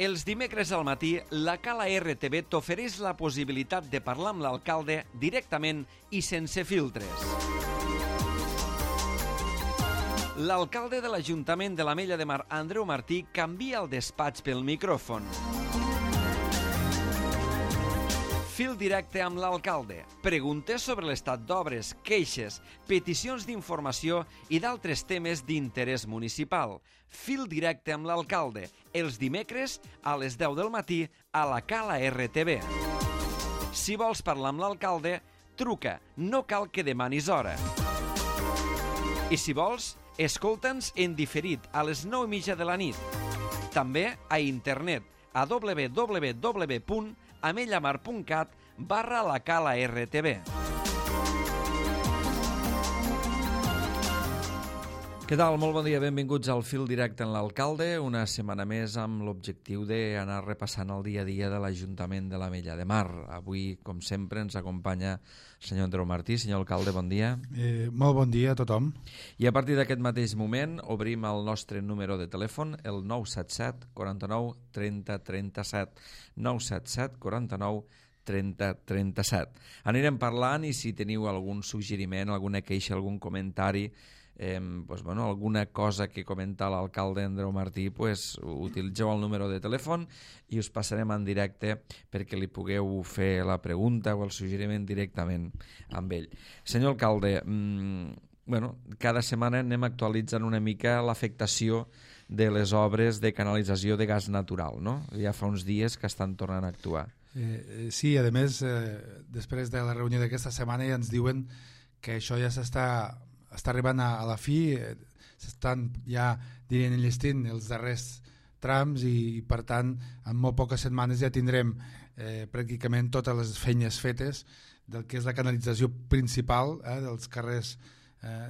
Els dimecres al matí, la Cala RTV t'ofereix la possibilitat de parlar amb l'alcalde directament i sense filtres. L'alcalde de l'Ajuntament de l'Ametlla de Mar, Andreu Martí, canvia el despatx pel micròfon. Fil directe amb l'alcalde. Preguntes sobre l'estat d'obres, queixes, peticions d'informació i d'altres temes d'interès municipal. Fil directe amb l'alcalde. Els dimecres a les 10 del matí a la Cala RTV. Si vols parlar amb l'alcalde, truca. No cal que demanis hora. I si vols, escolta'ns en diferit a les 9:30 de la nit. També a internet a www.amellamar.cat/la Cala RTV. Què tal? Molt bon dia, benvinguts al Fil Directe en l'Alcalde, una setmana més amb l'objectiu d'anar repassant el dia a dia de l'Ajuntament de l'Ametlla de Mar. Avui, com sempre, ens acompanya el senyor Andreu Martí. Senyor alcalde, bon dia. Molt bon dia a tothom. I a partir d'aquest mateix moment obrim el nostre número de telèfon, el 977 49 30 37. 977 49 30 37. Anirem parlant i si teniu algun suggeriment, alguna queixa, algun comentari, alguna cosa que comenta l'alcalde Andreu Martí, utilitzeu el número de telèfon i us passarem en directe perquè li pugueu fer la pregunta o el suggeriment directament amb ell. Senyor alcalde, cada setmana anem actualitzant una mica l'afectació de les obres de canalització de gas natural, no? Ja fa uns dies que estan tornant a actuar. Sí, a més, després de la reunió d'aquesta setmana ja ens diuen que això ja està arribant a la fi, s'estan ja enllestint els darrers trams i per tant en molt poques setmanes ja tindrem pràcticament totes les feines fetes del que és la canalització principal dels carrers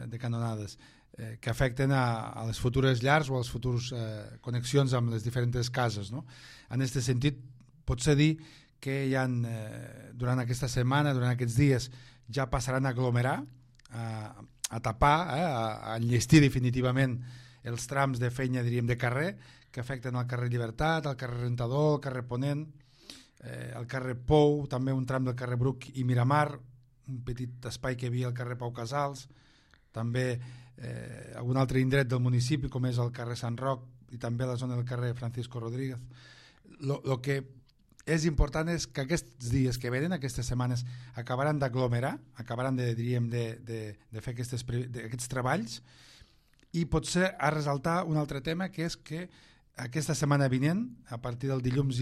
de canonades que afecten a les futures llars o a les futures connexions amb les diferents cases, no? En aquest sentit, potser dir que ja durant aquesta setmana, durant aquests dies, ja passaran a aglomerar, a tapar, a enllestir definitivament els trams de feina, diríem, de carrer, que afecten el carrer Llibertat, el carrer Rentador, el carrer Ponent, el carrer Pou, també un tram del carrer Bruc i Miramar, un petit espai que hi havia al carrer Pau Casals, també algun altre indret del municipi, com és el carrer Sant Roc i també la zona del carrer Francisco Rodríguez. El que és important és que aquests dies que venen, aquestes setmanes, acabaran d'aglomerar, acabaran de fer aquests treballs i potser a resaltar un altre tema, que és que aquesta setmana vinent, a partir del dilluns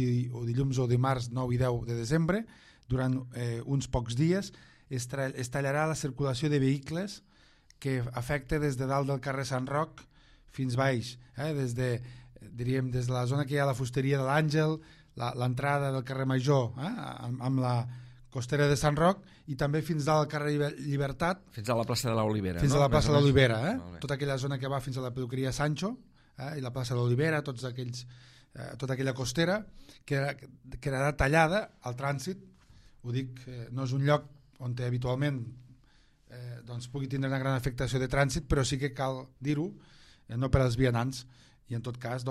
o dimarts 9 i 10 de desembre, durant uns pocs dies, es tallarà la circulació de vehicles que afecta des de dalt del carrer Sant Roc fins baix, des de la zona que hi ha la fusteria de l'Àngel, l'entrada del carrer Major amb la costera de Sant Roc i també fins dalt al carrer Llibertat, fins a la plaça de l'Olivera, fins a la plaça de l'Olivera, tota aquella zona que va fins a la peluqueria Sancho i la plaça de l'Olivera, tota aquella costera quedarà tallada al trànsit. Ho dic, no és un lloc on habitualment pugui tindre una gran afectació de trànsit, però sí que cal dir-ho, no per als vianants, i en tot cas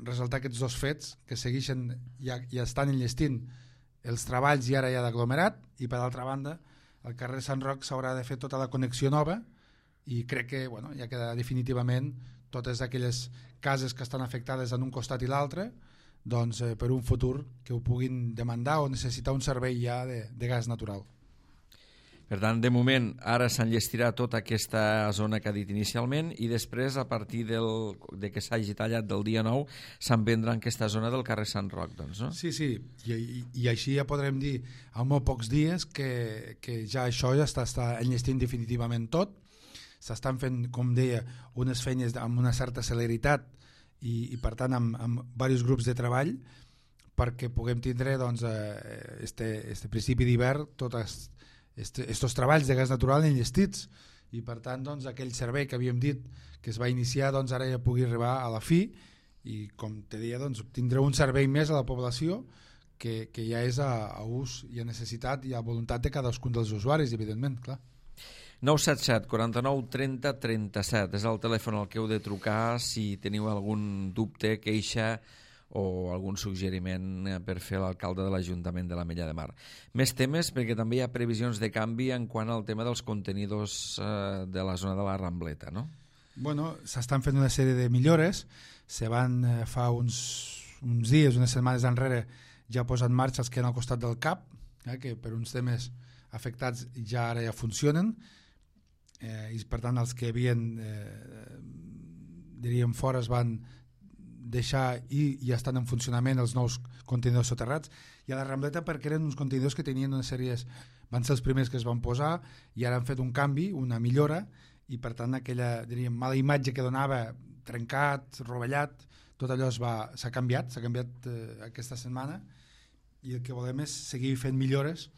resaltar aquests dos fets que segueixen ja estan enllestint els treballs i ara ja d'aglomerat, i per l'altra banda al carrer Sant Roc s'haurà de fer tota la connexió nova i crec que ja queda definitivament totes aquelles cases que estan afectades en un costat i l'altre per un futur que ho puguin demandar o necessitar un servei ja de gas natural. Per tant, de moment, ara s'enllestirà tota aquesta zona que ha dit inicialment i després, a partir de que s'hagi tallat del dia 9, se'n vendrà en aquesta zona del carrer Sant Roc, doncs, no? Sí, i així ja podrem dir en molt pocs dies que ja això ja està enllestint definitivament tot. S'estan fent, com deia, unes feines amb una certa celeritat i per tant amb diversos grups de treball perquè puguem tindre este principi d'hivern tots estos treballs de gas natural enllestits i per tant aquell servei que havíem dit que es va iniciar ara ja pugui arribar a la fi i com te deia tindreu un servei més a la població que ja és a ús i a necessitat i a voluntat de cadascun dels usuaris, evidentment, clar. 977 49 30 37 és el telèfon al que heu de trucar si teniu algun dubte, queixa o algun suggeriment per fer l'alcalde de l'Ajuntament de l'Ametlla de Mar. Més temes, perquè també hi ha previsions de canvi en quant al tema dels contenidors de la zona de la Rambleta, no? Bueno, s'estan fent una sèrie de millores. Se van fa uns dies, unes setmanes enrere, ja posar en marxa els que han al costat del CAP, que per uns temes afectats ja ara ja funcionen, i per tant els que havien diríem fora es van deixar i ja estan en funcionament els nous contenidors soterrats, i a la Rambleta perquè eren uns contenidors que tenien una sèrie, van ser els primers que es van posar i ara han fet un canvi, una millora, i per tant aquella diríem mala imatge que donava, trencat, rovellat, tot allò s'ha canviat aquesta setmana, i el que volem és seguir fent millores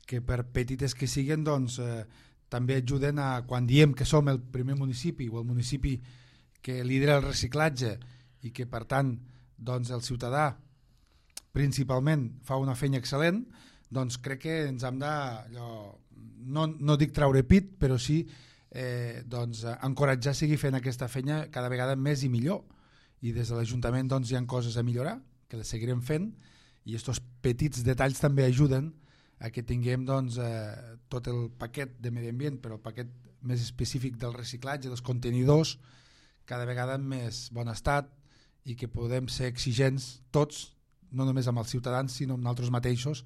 que per petites que siguin doncs també ajuden a, quan diem que som el primer municipi o el municipi que lidera el reciclatge i que per tant doncs el ciutadà principalment fa una feina excel·lent, doncs crec que ens hem de no dic treure pit, però sí doncs encoratjar a seguir fent aquesta feina cada vegada més i millor, i des de l'Ajuntament doncs hi ha coses a millorar que les seguirem fent, i aquests petits detalls també ajuden a que tinguem doncs, tot el paquet de medi ambient, però el paquet més específic del reciclatge, dels contenidors, cada vegada en més bon estat, i que podem ser exigents tots, no només amb els ciutadans sinó amb nosaltres mateixos,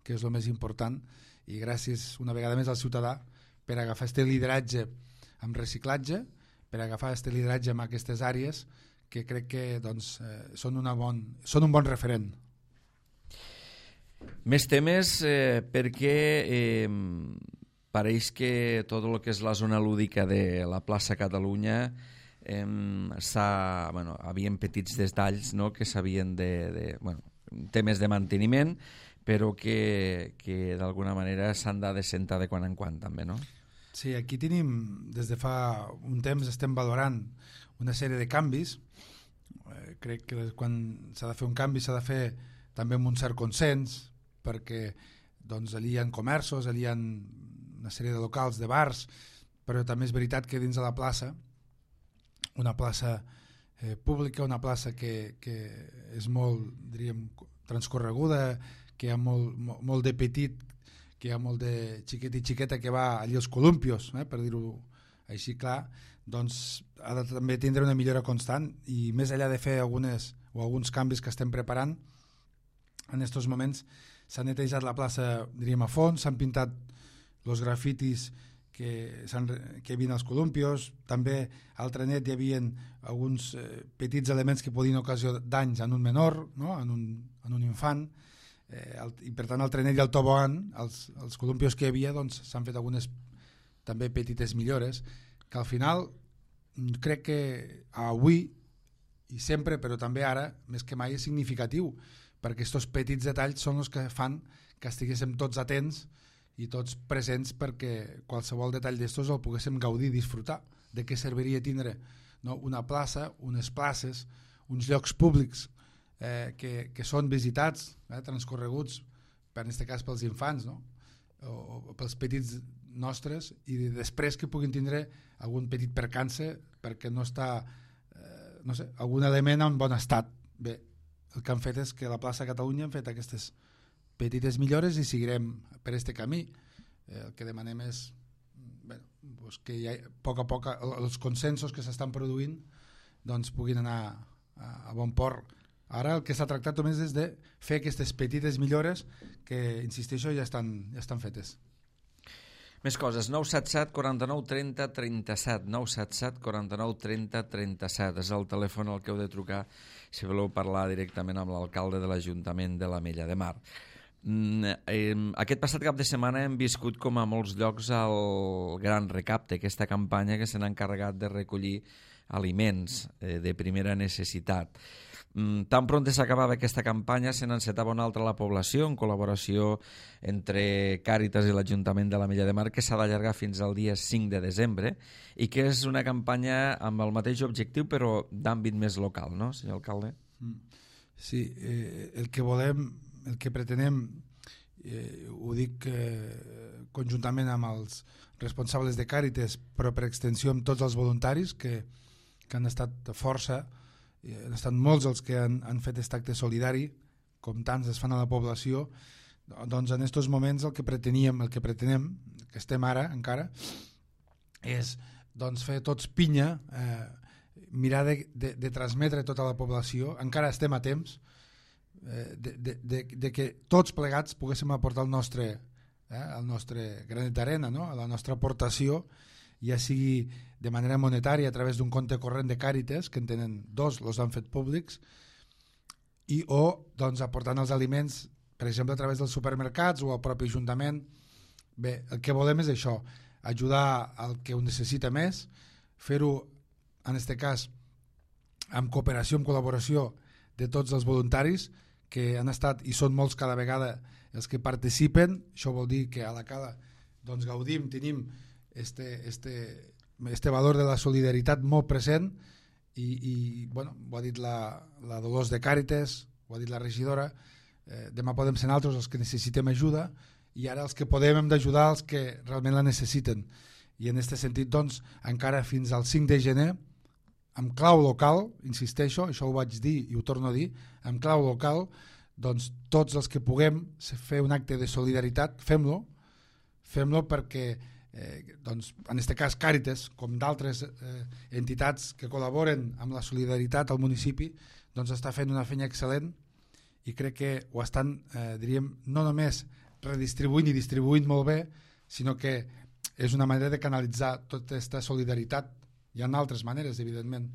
que és el més important, i gràcies una vegada més al ciutadà per agafar aquest lideratge amb reciclatge, per agafar aquest lideratge en aquestes àrees que crec que doncs, són un bon referent. Més temes perquè pareix que tot el que és la zona lúdica de la plaça Catalunya havien petits detalls, no?, que s'havien temes de manteniment, però que d'alguna manera s'han de descentar de quan en quan també, no? Sí, aquí tenim, des de fa un temps estem valorant una sèrie de canvis. Crec que quan s'ha de fer un canvi s'ha de fer també amb un cert consens, perquè doncs, allí hi ha comerços, allí hi ha una sèrie de locals, de bars, però també és veritat que dins de la plaça, una plaça pública, una plaça que és molt, diríem, transcorreguda, que hi ha molt de petit, que hi ha molt de xiquet i xiqueta que va allí als columpios, per dir-ho així clar, doncs ha de també tindre una millora constant, i més enllà de fer alguns canvis que estem preparant, en aquests moments s'ha netejat la plaça, diríem, a fons, s'han pintat els grafitis que hi havia als columpios, també al trenet hi havia alguns petits elements que podien ocasionar danys en un menor, no?, en un infant, i per tant al trenet i al tobogan, els columpios que hi havia, doncs s'han fet algunes també petites millores, que al final crec que avui i sempre, però també ara, més que mai, és significatiu, perquè aquests petits detalls són els que fan que estiguéssim tots atents i tots presents, perquè qualsevol detall d'estos el poguéssim gaudir, disfrutar. De què serviria tindre, no?, una plaça, unes places, uns llocs públics que són visitats, transcorreguts, en aquest cas pels infants, no?, o pels petits nostres, i després que puguin tindre algun petit percance perquè no està algun element en bon estat. Bé, el que han fet és que a la plaça Catalunya han fet aquestes petites millores i seguirem per aquest camí. El que demanem és que a poc a poc els consensos que s'estan produint doncs puguin anar a bon port. Ara el que s'ha tractat només és de fer aquestes petites millores que, insisteixo, ja estan fetes. Més coses, 977 49 30 37, 977 49 30 37, és el telèfon al que heu de trucar si voleu parlar directament amb l'alcalde de l'Ajuntament de l'Ametlla de Mar. Aquest passat cap de setmana hem viscut, com a molts llocs, el Gran Recapte, aquesta campanya que se n'ha encarregat de recollir aliments de primera necessitat. Tan pront s'acabava aquesta campanya se n'encetava una altra a la població, en col·laboració entre Càritas i l'Ajuntament de l'Ametlla de Mar, que s'ha d'allargar fins al dia 5 de desembre i que és una campanya amb el mateix objectiu però d'àmbit més local, no, senyor alcalde? Sí, el que volem, el que pretenem, ho dic conjuntament amb els responsables de Càritas, però per extensió amb tots els voluntaris que han estat força han estat molts els que han fet aquest acte solidari, com tants es fan a la població. Doncs en aquests moments el que pretenem, que estem ara encara, és doncs, fer tots pinya, mirar de transmetre a tota la població, encara estem a temps, de que tots plegats poguéssim aportar el nostre granet d'arena, no? La nostra aportació, ja sigui de manera monetària a través d'un compte corrent de Càritas, que en tenen dos, els han fet públics, o doncs, aportant els aliments, per exemple a través dels supermercats o al propi Ajuntament. Bé, el que volem és això, ajudar al que ho necessita més, fer-ho en aquest cas amb cooperació, amb col·laboració de tots els voluntaris que han estat i són molts cada vegada els que participen. Això vol dir que a la Cala doncs, gaudim, tenim este valor de la solidaritat molt present i bueno, ho ha dit la Dolors de Càritas, ho ha dit la regidora, demà podem ser nosaltres els que necessitem ajuda i ara els que podem hem d'ajudar els que realment la necessiten, i en aquest sentit doncs encara fins al 5 de gener amb clau local, insisteixo, això ho vaig dir i ho torno a dir, amb clau local, doncs tots els que puguem fer un acte de solidaritat, fem-lo perquè doncs, en aquest cas Càritas, com d'altres entitats que col·laboren amb la solidaritat al municipi, doncs està fent una feina excel·lent i crec que ho estan, diríem, no només redistribuint i distribuint molt bé, sinó que és una manera de canalitzar tota aquesta solidaritat. Hi ha altres maneres, evidentment,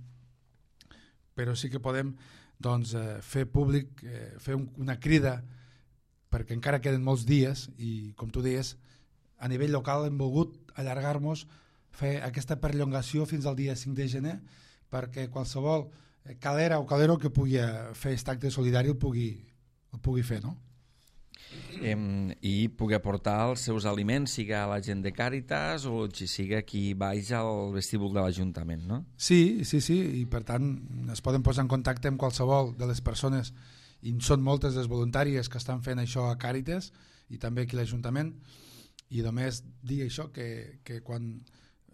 però sí que podem doncs, fer públic, fer una crida, perquè encara queden molts dies i, com tu deies, a nivell local hem volgut allargar-nos, fer aquesta perllongació fins al dia 5 de gener perquè qualsevol calera o calero que pugui fer aquest acte solidari el pugui fer, no? I pugui aportar els seus aliments, siga la gent de Càritas o siga qui baix al vestíbul de l'Ajuntament, no? Sí, i per tant es poden posar en contacte amb qualsevol de les persones, i són moltes les voluntàries que estan fent això a Càritas i també aquí a l'Ajuntament, i només dir això, que quan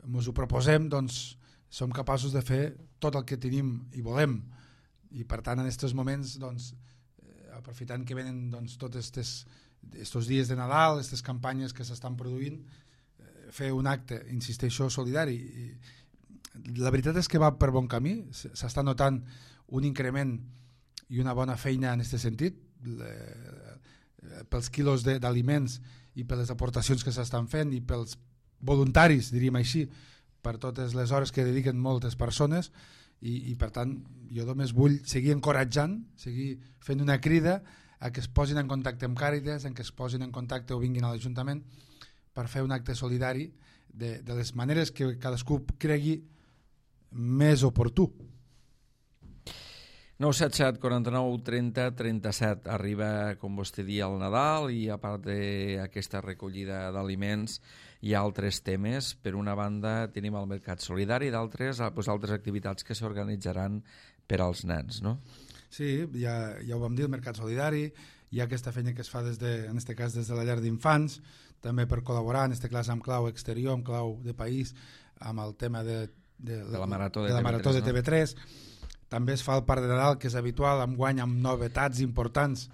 ens ho proposem doncs som capaços de fer tot el que tenim i volem, i per tant en aquests moments doncs, aprofitant que venen doncs, tots estos dies de Nadal, aquestes campanyes que s'estan produint, fer un acte, insisteixo, solidari. La veritat és que va per bon camí, s'està notant un increment i una bona feina en aquest sentit, pels quilos d'aliments i per les aportacions que s'estan fent i pels voluntaris, diríem així, per totes les hores que dediquen moltes persones, i per tant jo només vull seguir encoratjant, seguir fent una crida a que es posin en contacte amb Càritas, en que es posin en contacte o vinguin a l'Ajuntament per fer un acte solidari de les maneres que cadascú cregui més oportú. 977 49 30 37. Arriba, com vostè dia, el Nadal, i a part d'aquesta recollida d'aliments hi ha altres temes. Per una banda tenim el Mercat Solidari, d'altres altres activitats que s'organitzaran per als nens, no? Sí, ja ho vam dir, el Mercat Solidari, hi ha aquesta feina que es fa en aquest cas des de la llar d'infants, també per col·laborar, en aquest cas amb clau exterior, amb clau de país, amb el tema de la Marató de TV3. També es fa el Parc de Nadal, que és habitual, enguany amb novetats importants,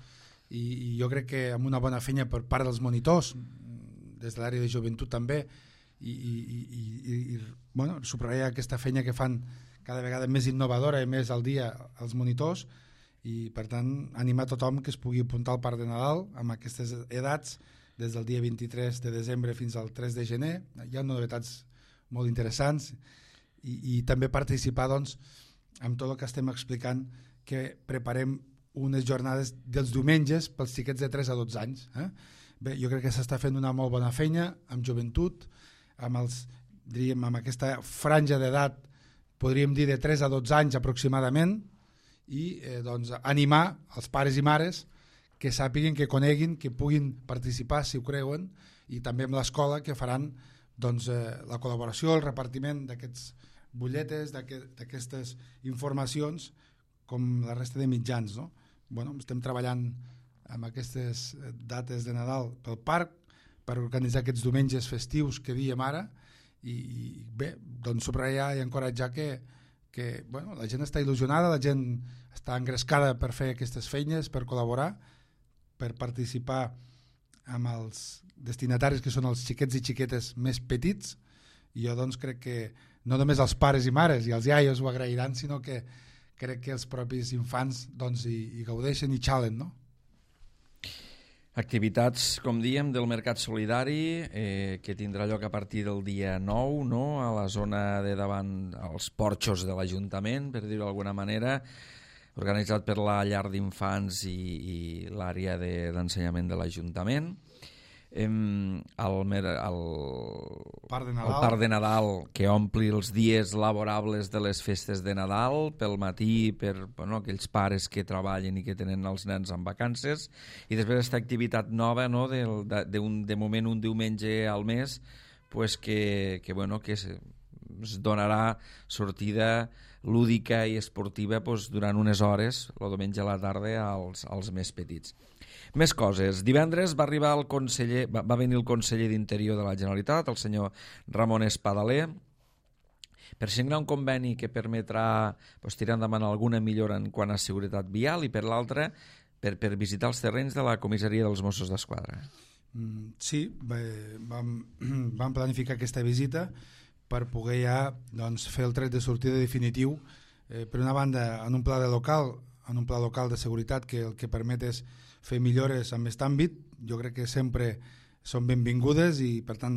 i jo crec que amb una bona feina per part dels monitors, des de l'àrea de joventut també, i bueno, subratllar aquesta feina que fan cada vegada més innovadora i més al dia els monitors, i per tant animar tothom que es pugui apuntar al Parc de Nadal amb aquestes edats des del dia 23 de desembre fins al 3 de gener. Hi ha novetats molt interessants, i també participar doncs amb tot el que estem explicant, que preparem unes jornades dels diumenges pels xiquets de 3 a 12 anys. Bé, jo crec que s'està fent una molt bona feina amb joventut, amb aquesta franja d'edat, podríem dir de 3 a 12 anys aproximadament, i doncs, animar els pares i mares que sàpiguen, que coneguin, que puguin participar si ho creuen, i també amb l'escola, que faran doncs, la col·laboració, el repartiment d'aquests butlletes, d'aquestes informacions, com la resta de mitjans, no? Bueno, estem treballant amb aquestes dates de Nadal pel parc per organitzar aquests diumenges festius que diem ara, i bé, doncs subratllar i encoratjar que que la gent està il·lusionada, la gent està engrescada per fer aquestes feines, per col·laborar, per participar amb els destinataris que són els xiquets i xiquetes més petits, i jo doncs crec que no només els pares i mares i els iaios ho agrairan, sinó que crec que els propis infants doncs hi gaudeixen i xalen, no? Activitats, com diem, del Mercat Solidari, que tindrà lloc a partir del dia 9, no? A la zona de davant, als porxos de l'Ajuntament, per dir-ho d'alguna manera, organitzat per la llar d'infants i l'àrea d'ensenyament de l'Ajuntament. El Parc de Nadal, que ompli els dies laborables de les festes de Nadal pel matí per aquells pares que treballen i que tenen els nens en vacances, i després aquesta activitat nova, no, de moment un diumenge al mes, pues que es donarà sortida lúdica i esportiva durant unes hores el diumenge a la tarda als més petits. Més coses. Divendres va venir el conseller d'Interior de la Generalitat, el senyor Ramon Espadaler, per signar un conveni que permetrà tirar endavant alguna millora en quant a seguretat vial, i per l'altra per visitar els terrenys de la comissaria dels Mossos d'Esquadra. Sí, vam planificar aquesta visita per poder ja fer el tret de sortida definitiu, per una banda en un pla local de seguretat que el que permet és fer millores en aquest àmbit. Jo crec que sempre són benvingudes i per tant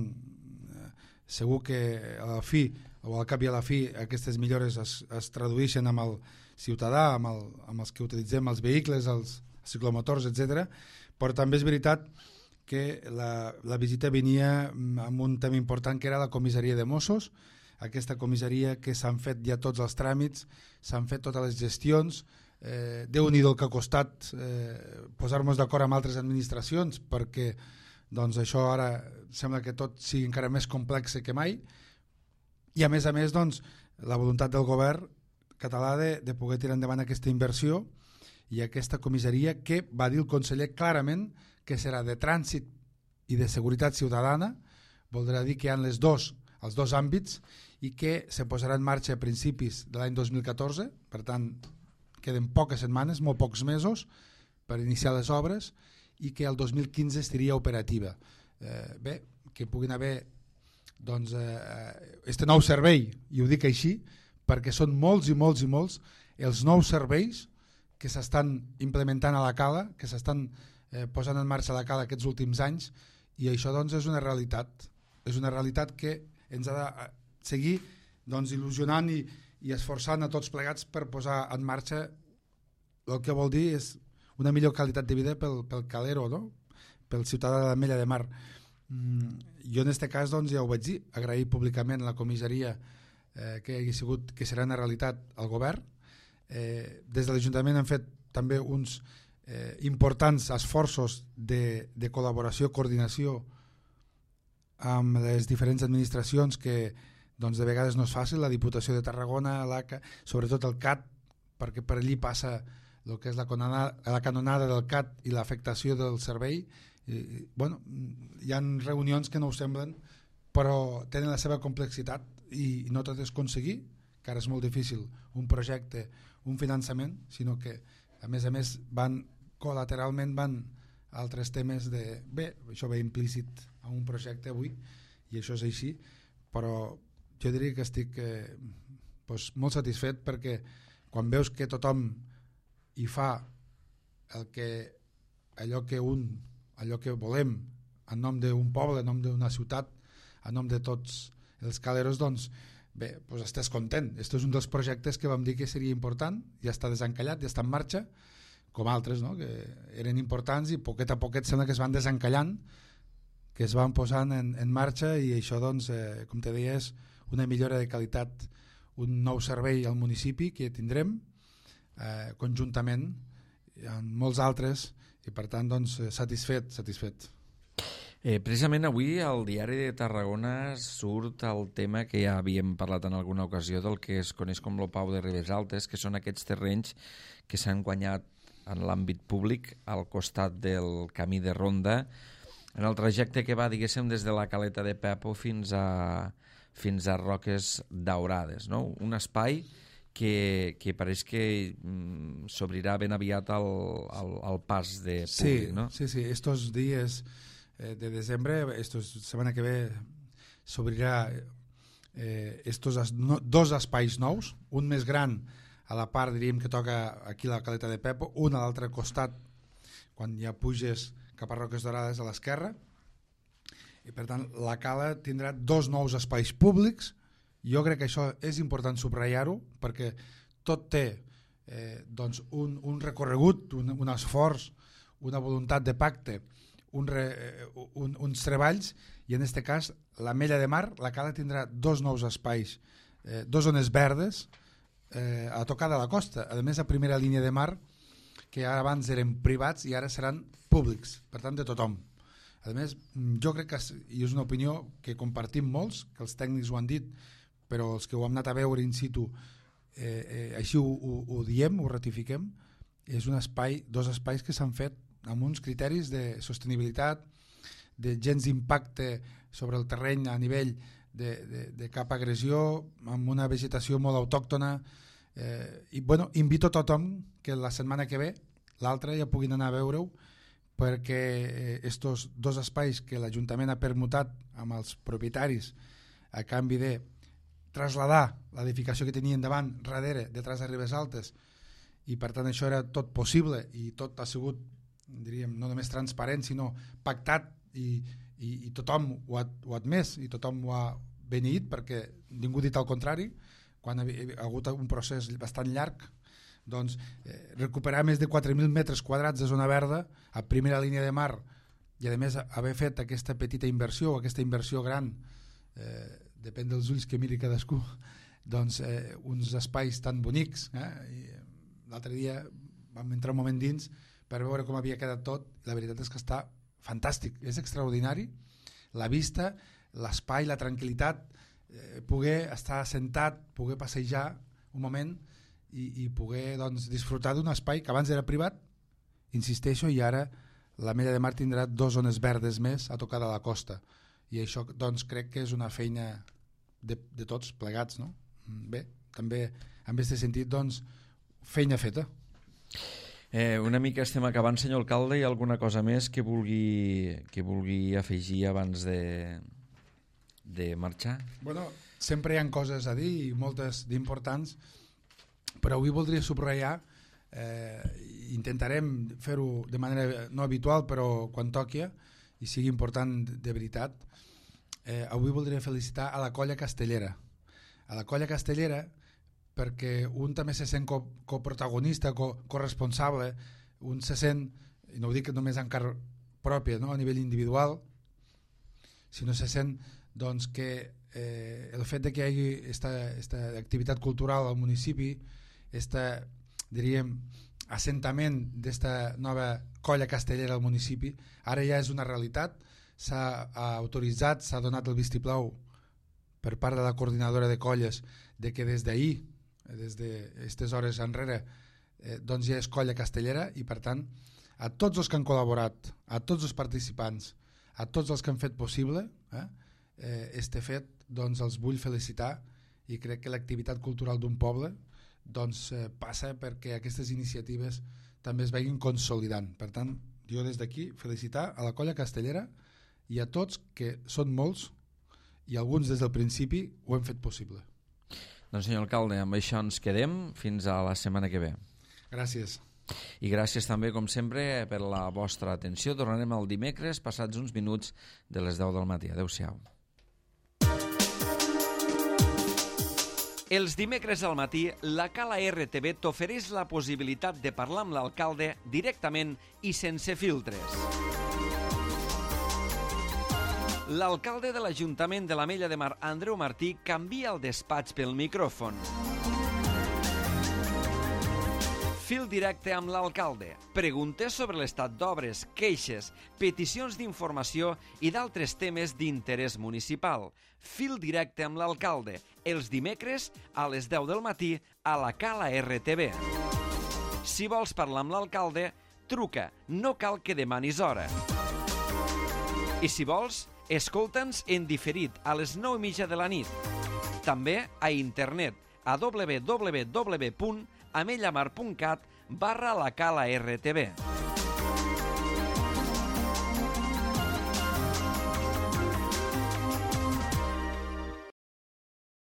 segur que a la fi o al cap i a la fi aquestes millores es tradueixen amb el ciutadà, amb els que utilitzem els vehicles, els ciclomotors, etc. Però també és veritat que la visita venia amb un tema important que era la comissaria de Mossos, aquesta comissaria que s'han fet ja tots els tràmits, s'han fet totes les gestions. Déu-n'hi-do el que ha costat posar-nos d'acord amb altres administracions, perquè això ara sembla que tot sigui encara més complex que mai, i a més la voluntat del govern català de poder tirar endavant aquesta inversió i aquesta comissaria que va dir el conseller clarament que serà de trànsit i de seguretat ciutadana, voldrà dir que hi ha els dos àmbits, i que se posarà en marxa a principis de l'any 2014, per tant queden poques setmanes, molt pocs mesos per iniciar les obres, i que el 2015 estaria operativa. Que puguin haver este nou servei, i ho dic així perquè són molts i molts i molts els nous serveis que s'estan implementant a la Cala, que s'estan posant en marxa a la Cala aquests últims anys, i això és una realitat que ens ha de seguir il·lusionant i esforçant a tots plegats per posar en marxa el que vol dir és una millor qualitat de vida pel calero, no? Pel ciutadà de l'Ametlla de Mar. Jo en aquest cas ja ho vaig dir, agrair públicament a la comissaria que serà una realitat al govern. Des de l'Ajuntament han fet també uns importants esforços de col·laboració, coordinació amb les diferents administracions que de vegades no és fàcil, la Diputació de Tarragona, l'ACA, sobretot el CAT, perquè per allí passa el que és la canonada del CAT i l'afectació del servei. Hi ha reunions que no ho semblen, però tenen la seva complexitat i no tot és aconseguir, que ara és molt difícil un projecte, un finançament, sinó que a més col·lateralment van altres temes això ve implícit a un projecte avui, i això és així, però jo diria que estic molt satisfet, perquè quan veus que tothom hi fa allò que volem en nom d'un poble, en nom d'una ciutat, en nom de tots els caleros, estàs content. Aquest és un dels projectes que vam dir que seria important, ja està desencallat, ja està en marxa, com altres, no? Que eren importants i poquet a poquet sembla que es van desencallant, que es van posant en marxa, i això, com te deia, és una millora de qualitat, un nou servei al municipi que tindrem conjuntament amb molts altres, i per tant satisfet. Precisament avui al Diari de Tarragona surt el tema que ja havíem parlat en alguna ocasió del que es coneix com el Pau de Ribes Altes, que són aquests terrenys que s'han guanyat en l'àmbit públic al costat del camí de ronda, en el trajecte que va, diguéssim, des de la Caleta de Pepo fins a Roques Daurades, no? Un espai que pareix que s'obrirà ben aviat al pas de públic, ¿no? Sí, estos días de desembre, semana que ve, s'obrirà dos espais nous, un més gran a la part, diríem, que toca aquí la Caleta de Pepo, un a l'altre costat, quan ja puges cap a Roques Dorades a l'esquerra, i per tant la cala tindrà dos nous espais públics. Jo crec que això és important subratllar-ho, perquè tot té doncs un recorregut, un esforç, una voluntat de pacte, uns treballs, i en aquest cas l'Ametlla de Mar, la cala tindrà dos nous espais, dos zones verdes a tocar de la costa, a més a primera línia de mar, que abans eren privats i ara seran públics, per tant de tothom. A més, jo crec que, i és una opinió que compartim molts, que els tècnics ho han dit, però els que ho hem anat a veure in situ així ho diem, ho ratifiquem, és un espai, dos espais que s'han fet amb uns criteris de sostenibilitat, de gens d'impacte sobre el terreny a nivell de cap agressió, amb una vegetació molt autòctona, i bueno, invito a tothom que la setmana que ve, l'altra, ja puguin anar a veure-ho, perquè estos dos espais que l'Ajuntament ha permutat amb els propietaris a canvi de traslladar l'edificació que tenien davant, darrere, detrás de Ribes Altes, i per tant això era tot possible i tot ha sigut, diríem, no només transparent, sinó pactat, i tothom ho ha admès i tothom ho ha beneït, perquè ningú ha dit el contrari. Quan ha hagut un procés bastant llarg, doncs recuperar més de 4.000 metres quadrats de zona verda a primera línia de mar, i a més haver fet aquesta petita inversió, aquesta inversió gran, depèn dels ulls que miri cadascú, doncs uns espais tan bonics, i l'altre dia vam entrar un moment dins per veure com havia quedat tot, i la veritat és que està fantàstic, és extraordinari la vista, l'espai, la tranquil·litat, poder estar assentat, poder passejar un moment i poder doncs, disfrutar d'un espai que abans era privat, insisteixo, i ara l'Ametlla de Mar tindrà dos zones verdes més a tocar de la costa, i això doncs, crec que és una feina de tots plegats, no? Bé, també en aquest sentit doncs, feina feta. Una mica estem acabant, senyor alcalde. Hi ha alguna cosa més que vulgui afegir abans de marxar? Bueno, sempre hi ha coses a dir i moltes d'importants, però avui voldria subratllar, intentarem fer-ho de manera no habitual, però quan toqui i sigui important de veritat. Avui voldria felicitar a la Colla Castellera. A la Colla Castellera, perquè un també se sent coprotagonista, corresponsable, un se sent, i no ho dic només en carn pròpia, no? A nivell individual, sinó se sent doncs, que el fet de que hi hagi aquesta activitat cultural al municipi, diríem, assentament d'esta nova colla castellera al municipi, ara ja és una realitat, s'ha autoritzat, s'ha donat el vistiplau per part de la coordinadora de colles de que des d'ahir, des d'aquestes hores enrere, doncs ja és colla castellera, i per tant a tots els que han col·laborat, a tots els participants, a tots els que han fet possible este fet, doncs els vull felicitar, i crec que l'activitat cultural d'un poble doncs passa perquè aquestes iniciatives també es vegin consolidant. Per tant, jo des d'aquí felicitar a la colla castellera i a tots, que són molts i alguns des del principi ho hem fet possible. Doncs senyor alcalde, amb això ens quedem fins a la setmana que ve. Gràcies. I gràcies també, com sempre, per la vostra atenció. Tornarem el dimecres, passats uns minuts de les 10 del matí. Adéu-siau. Els dimecres al matí, la Cala RTV t'ofereix la possibilitat de parlar amb l'alcalde directament i sense filtres. L'alcalde de l'Ajuntament de l'Ametlla de Mar, Andreu Martí, canvia el despatx pel micròfon. Fil directe amb l'alcalde. Preguntes sobre l'estat d'obres, queixes, peticions d'informació i d'altres temes d'interès municipal. Fil directe amb l'alcalde. Els dimecres a les 10 del matí a la Cala RTV. Si vols parlar amb l'alcalde, truca. No cal que demanis hora. I si vols, escolta'ns en diferit a les 9:30 de la nit. També a internet a www.amellamar.cat/la cala RTV.